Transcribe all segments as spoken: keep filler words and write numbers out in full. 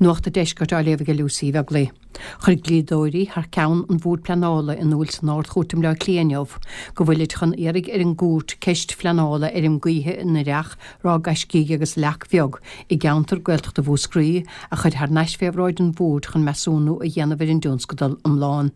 Nuacht an Deiscirt á léamh ag Lucy Bheaglaoich. Chuir dlíodóirí thar ceann an Bhoird Pleanála in iúl san Ard-Chúirt i mBleá Cliath inniu go bhfuilid chun iarraidh ar an gcúirt ceist phleanála fheirm gaoithe in Oireach, Ráth Gaiscígh agus Leac Bheag i gceantar Gaeltachta Mhúscraí a chur thar n-ais fé bhráid an Bhoird chun measúnú a dhéanamh ar an dtionscadal iomlán.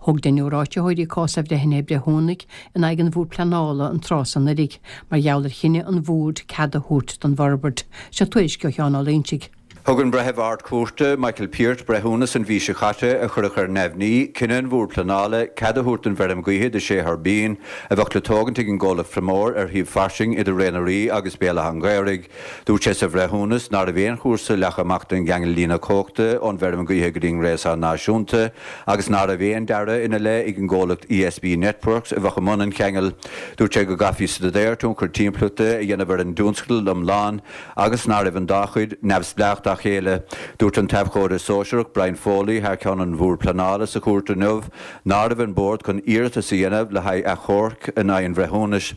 Thóg deichniúr áititheoirí cás athbhreithnithe breithiúnaigh in aghaidh an Bhoird Pleanála an tráth san anuraidh mar gheall ar chinneadh an Bhoird cead a thabhairt don bhforbairt. Seo tuairisc ó Sheán Ó Loingsigh. Thug an Breitheamh Ard-Chúirte Michael Peart breithiúnas an mhí seo caite a chuirfeadh ar neamhní cinneadh an Bhoird Pleanála cead a thabhairt don bhfeirm gaoithe de sé thuirbín a bheadh le tógaint ag an gcomhlacht Promar ar shuíomh fairsing idir Ré na Rí agus Béal Átha an Ghaorthaidh. Dúirt sé sa bhreithiúnas nach raibh aon chúrsa leagtha amach don gceangal líne cumhachta ón bhfeirm gaoithe go dtí an ngréasán náisiúnta agus nach raibh aon dearadh ina leith ag an gcomhlacht ESB Networks a bheadh i mbun an cheangail. Dúirt sé go gcaithfí staidéar tionchar timpeallachta a dhéanamh ar an dtionscadal iomlán agus nach raibh an dá chuid neamhspleách dá chéile. Dúirt an t-abhcóide sóisearach Brian Foley thar ceann an Bhoird Pleanála sa chúirt inniu nach raibh an bord chun iarratas a dhéanamh le haghaidh achomhairc in aghaidh an bhreithiúnais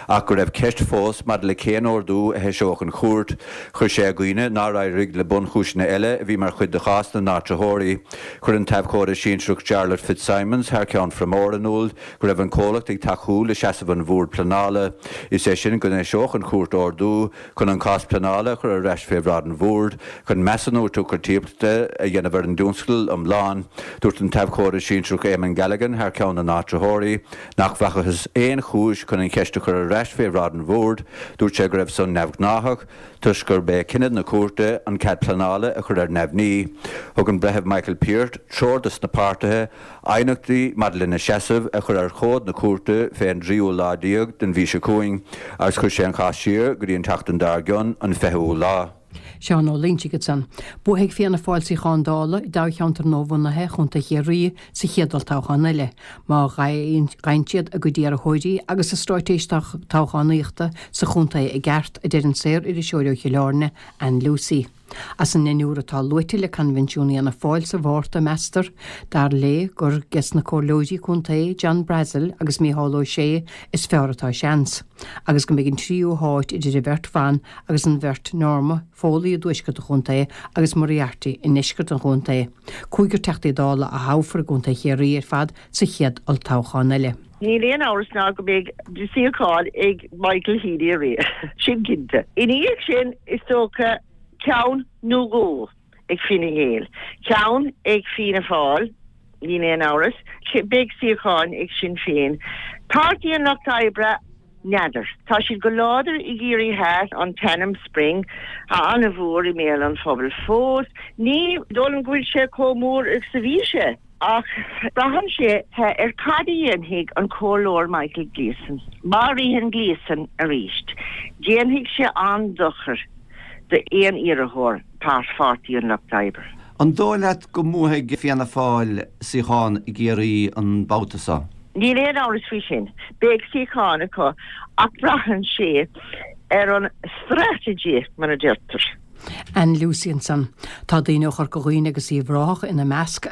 ach go raibh ceist fós maidir le cén ordú a heiseodh an chúirt. Chuir sé i gcuimhne nár éirigh le bunchúiseanna eile a bhí mar chuid de chás na n-áitritheoirí. Chuir an t-abhcóide sinsearach Jarlath Fitzsimons thar ceann Promar in iúl go raibh an comhlacht ag tacú le seasamh an Bhoird Pleanála. Is é sin go n-eiseodh an chúirt ordú chun an cás pleanála a chur ar ais fé bhráid an Bhoird chun measúnú tionchar timpeallachta a dhéanamh ar an dtionscadal iomlán. Dúirt an t-abhcóide sinsearach Eamon Galligan thar ceann na n-áitritheoirí nach bhfacthas aon chúis chun an cheist a chur ar ais fé bhráid an Bhoird, dúirt sé go raibh san neamhghnáthach toisc gurb é cinneadh na cúirte an cead pleanála a chur ar neamhní. Thug an Breitheamh Michael Peart treoir dos na páirtithe aighneachtaí maidir lena seasamh a chur ar chomhad na cúirte fé an dtríú lá déag den mhí seo chugainn agus chuir sé an cás siar go dtí an tseachtain dár gcionn an fichiú lá. Seán Ó Loingsigh ansan. Buafaidh Fianna Fáil suíochán Dála i dtoghcheantar nuabhunaithe Chontae Chiarraí sa chéad olltoghchán eile, má gheibheann siad a gcuid iarrthóirí agus a straitéis toghchánaíochta sa chontae i gceart, a deir an saor-iriseoir ó Chill Airne, Ann Lucey. As an ndeichniúr atá luaite le Coinbhinsiún Fhianna Fáil sa Mhárta, meastar, dar léi, gur ges na comhairleoirí contae John Brassil agus Mícheál Ó Sé is fearr atá seans, agus go mbeidh an tríú háit idir an bheirt bhan agus an bheirt Norma Foley i dtuaisceart an chontae agus Moriarty i ndeisceart an chontae. Cúigear Teachtaí Dála a thoghfar i gContae Chiarraí ar fad sa chéad olltoghchán eile. Níl aon amhras ná go mbeidh suíochán ag Michael Healy arís, sin cinnte. Ina dhiaidh sin, is dócha ceann nó dhó ag Fine Gael, ceann ag Fianna Fáil, níl aon amhras, beidh suíocháin ag Sinn Féin. Páirtí an Lucht Oibre, n'fheadar. Tá siad go láidir i gCiarraí Theas, an t-ainm Spring an-mhór i mbéal an phobail fós. Ní dóigh liom go bhfuil sé chomh mór is a bhí sé. Ach braitheann sé ar cad a dhéanfaidh an Comhairleoir Michael Gleeson. Má ritheann Gleeson arís, déanfaidh sé an-dochar d'aon iarrthóir thar Pháirtí an Lucht Oibre. An dóigh leat go mbuafaidh Fianna Fáil suíochán i gCiarraí an babhta seo? Níl aon amhras faoi sin. Beidh suíochán acu ach braitheann sé ar an strategy, mar a deirtear. Ann Lucey ansan. Tá daoine ó Chorca Dhuibhne agus Uíbh Ráthach ina measc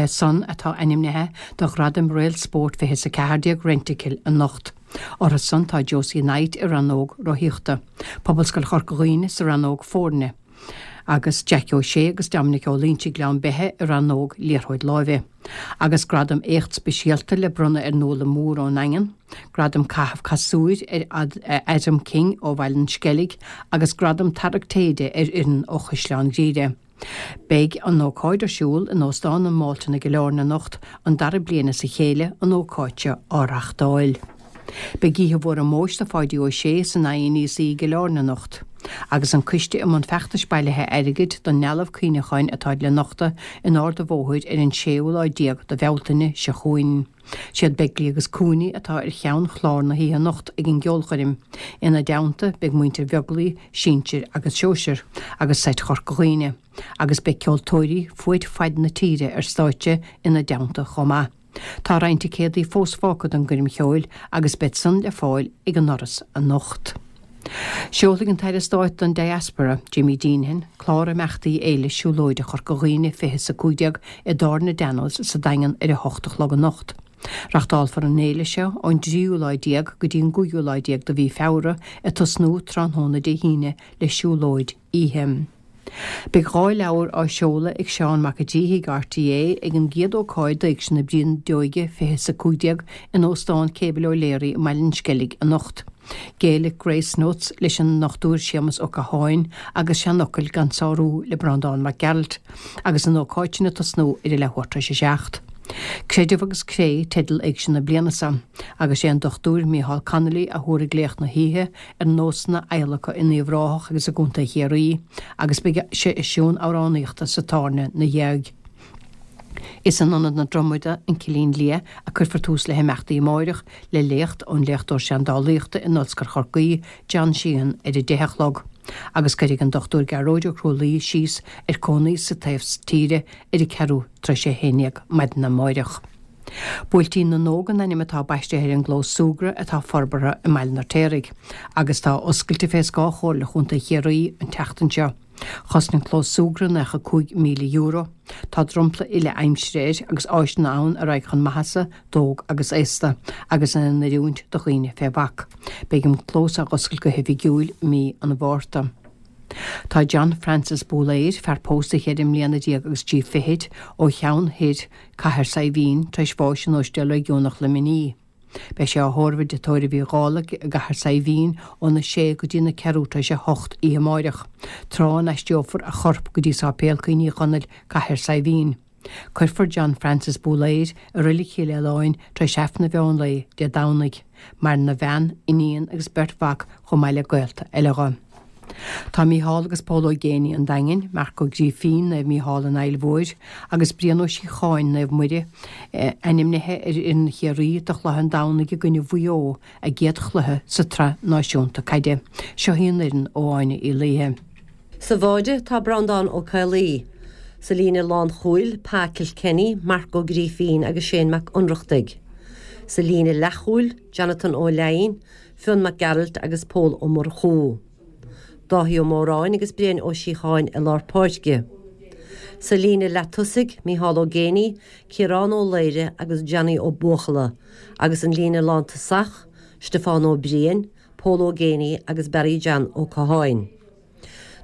san atá ainmnithe do Ghradaim Réalt Spóirt fiche is a ceathair déag Rentokil anocht. Orthu san tá Josie Knight i rannóg rothaíochta, Pobalscoil Chorca Dhuibhne sa rannóg foirne, agus Jackie Ó Sé agus Dominic Ó Loingsigh Gleann Beithe i rannóg liathróid láimhe. Agus gradam éacht speisialta le bronnadh ar Nuala Moore ón nDaingean, gradam caitheamh casúir ar Adam King ó Bhaile an Sceilg agus gradam tarrac téide ar fhoireann ó Chaisleán Ghriaire. Beidh an ócáid ar siúl in Óstán an Mhalton i gCill Airne anocht, an dara bliain as a chéile an ócáid seo á reáchtáil. Beidh oíche mhór ómóis do Pháidí Ó Sé san INEC i gCill Airne anocht, agus an coiste i mbun feachtais bailithe airgid don ndealbh cuimhneacháin atá le nochtadh in Ard an Bhóthair ar an séú lá déag de Bhealtaine seo chugainn. Siad Begley agus Cooney atá ar cheann chlár na hoíche anocht ag an gceolchoirm. Ina dteannta beidh muintir Bheaglaoich, sinsir agus sóisir, agus seit Chorca Dhuibhne, agus beidh ceoltóirí fuaid faid na tíre ar stáitse ina dteannta chomh maith. Tá roinnt ticéadaí fós fágtha don gcoirm cheoil agus beid san le fáil ag an ndoras anocht. Seolfaidh an tAire Stáit don Diaspora, Jimmy Deenihan, clár imeachtaí Fhéile Siúlóide Chorca Dhuibhne fiche is a cúig déag i dTábhairne Daniels sa Daingean ar a hocht a chlog anocht. Reachtálfar an fhéile seo ón dtríú lá déag go dtí an gcúigiú lá déag de mhí Feabhra, ag tosnú tráthnóna Dé hAoine le siúlóid oíche. Beidh dhá leabhar á seoladh ag Seán Mac an tSíthigh RTÉ ag an gcéad ócáid d'Éigse na Brídeoige fiche is a cúig déag in Óstán Cable O'Leary i mBaile an Sceilg anocht. Gaelic Grace Notes leis an nDochtúir Séamus Ó Catháin agus Seanfhocail gan Sárú le Breandán Mac Gearailt, agus an ócáid sin ag tosnú ar a leathuair tar éis a seacht. Creideamh agus Cré teideal éigse na bliana seo, agus sé an Dochtúir Micheál Connolly a thabharfaidh léacht na hoíche ar nósanna adhlactha in Uíbh Ráthach agus i gContae Chiarraí, agus beidh seisiún amhránaíochta sa tábhairne ina dhiaidh. Is in Ionad na Dromoda, an Cillín Liath, a cuirfear tús le himeachtaí amáireach le léacht ón léachtóir seandálaíochta in Ollscoil Chorcaí, John Sheehan, ar a deich a chlog, agus cuirfidh an Dochtúir Gearóid Ó Crualaoi síos ar cónaí sa taobh tíre ar a ceathrú tar éis a haon déag maidin amáireach. Buailtín na nÓg an ainm atá baistithe ar an gclós súgartha atá forbartha i mBaile an Fheirtéaraigh agus atá oscailte fé scáth Chomhairle Chontae Chiarraí an tseachtain seo. Chosain an clós súgartha nócha cúig míle euro. Tá dromchla uile aimsire air agus áiseanna ann a raghaidh chun maitheasa d'óg agus aosta agus in oiriúint do dhaoine fé bhac. Beidh an clós á oscailt go hoifigiúil mí an Mhárta. Tá John Francis Búléir, fear pósta cheithre mbliana déag agus trí fichid, ó Cheann Thoir, Cathair Saidhbhín, tar éis bháis in Ospidéal Réigiúnach Luimnigh. Beidh sé á thórramh i dTigh Tórraimh Uí Dhálaigh i gCathair Saidhbhín óna sé go dtí na ceathrú tar éis a hocht oíche amáireach, tráth a n-aistreofar a chorp go dtí Sáipéal Cuimhní Chonaill, Cathair Saidhbhín. Cuirfear John Francis Búléir i Reilig Chill Aoláin tar éis Aifreann an mheán lae Dé Domhnaigh. Maireann a bhean, iníon agus beirt mhac chomh maith le gaolta eile dho. Tá Mícheál agus Pól Ó Géibheannaigh an Daingin, Marc Ó Grífín, Naomh Mícheál an Fhaill Mhóir, agus Brian Ó Síocháin, Naomh Muire, ainmnithe ar fhoireann Chiarraí do chluiche an Domhnaigh i gcoinne Mhaigh Eo, a gcéad chluiche sa tsraith náisiúnta caide. Seo í an fhoireann ó Áine Uí Laoithe. Sa bháide tá Breandán Ó Caollaí. Sa líne lánchúil, Pa Kilkenny, Marc Ó Grífín agus Shane Mac Ionnrachtaigh. Sa líne leathchúil, Jonathan Ó Leidhin, Fionn Mac Gearailt agus Pól Ó Murchú. Dáithí Ó Móráin agus Brian Ó Síocháin i lár páirce. Sa líne leatosaigh, Mícheál Ó Géibheannaigh, Ciarán Ó Laoire agus Johnny Ó Buachalla, agus an líne lántosach, Stiofán Ó Briain, Pól Ó Géibheannaigh agus Barry John Ó Catháin.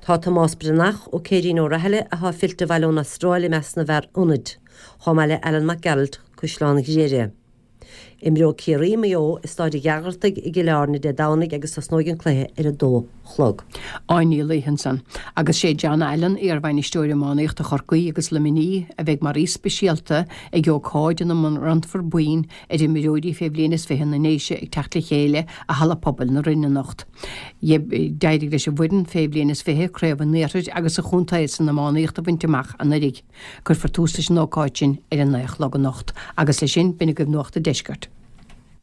Tá Tomás Breathnach ó Céirín Ó Rathaille atá fillte abhaile ón Astráil i measc na bhfear ionaid, chomh maith le Alan Mac Gearailt, Caisleán Ghriaire. Imreoidh Ciarraí Maigh Eo i Staid an Ghearaltaigh i gCill Airne Dé Domhnaigh agus tosnóidh an cluiche ar a dó chlog. Áine Ní Laoithe ansan. Agus sé John Allen, iarbhainisteoir iománaíochta Chorcaí agus Luimnigh, a bheidh mar aoi speisialta ag ócáid ina mbronnfar boinn ar imreoirí fé bhliain is fiche na nDéise ag teacht le chéile i Halla Pobail na Rinne anocht. D'éirigh leis an bhfoireann fé bhliain is fiche craobh an iarthair agus an chontae san iománaíocht a bhaint amach anuraidh. Cuirfear tús leis an ócáid sin ar a naoi a chlog anocht. Agus leis sin, b'in agaibh Nuacht an Deiscirt.